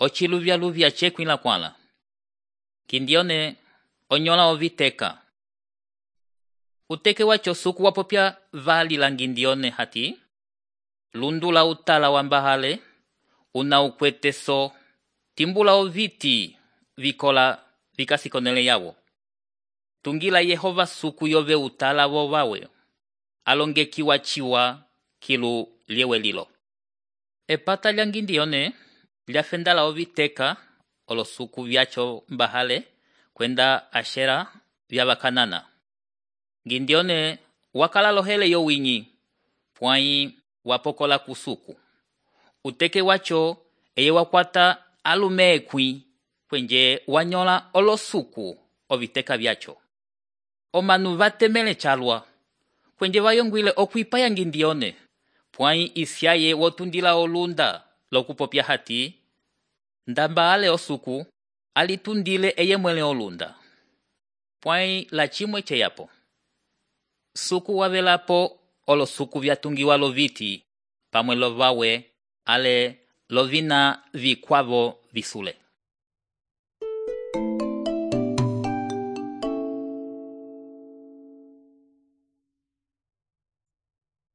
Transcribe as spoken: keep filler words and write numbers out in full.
ociluvyaluvya cekwila kwala. Kindione onyola oviteka. Uteke wacho suku wapopya vali la ngindione hati. Lundula utala wambahale. Una ukweteso. Timbula oviti vikola vikasikonele yawo. Tungila Yehova suku yove utala wo wawe. Alongeki wachiwa kilu liewe lilo. Epata lya ngindione lyafendala oviteka olo suku vyacho mbahale kwenda Ashera vyabakanana. Ngindione wakala lohele yo winyi pwai wapokola kusuku. Uteke wacho eye wakwata alumekwi kwenje wanyola olo suku oviteka vyacho. Omanu vatemele chalwa kwenje vayongwile okwipaya ngindione pwai isyaye wotundila olunda lokupopya hati ndamba ale osuku alitundile eye mwele olunda. Pwai la chimwe cheyapo. Suku wavelapo olo suku vyatungiwa loviti pamwe lovawe ale lovina vikwavo visule.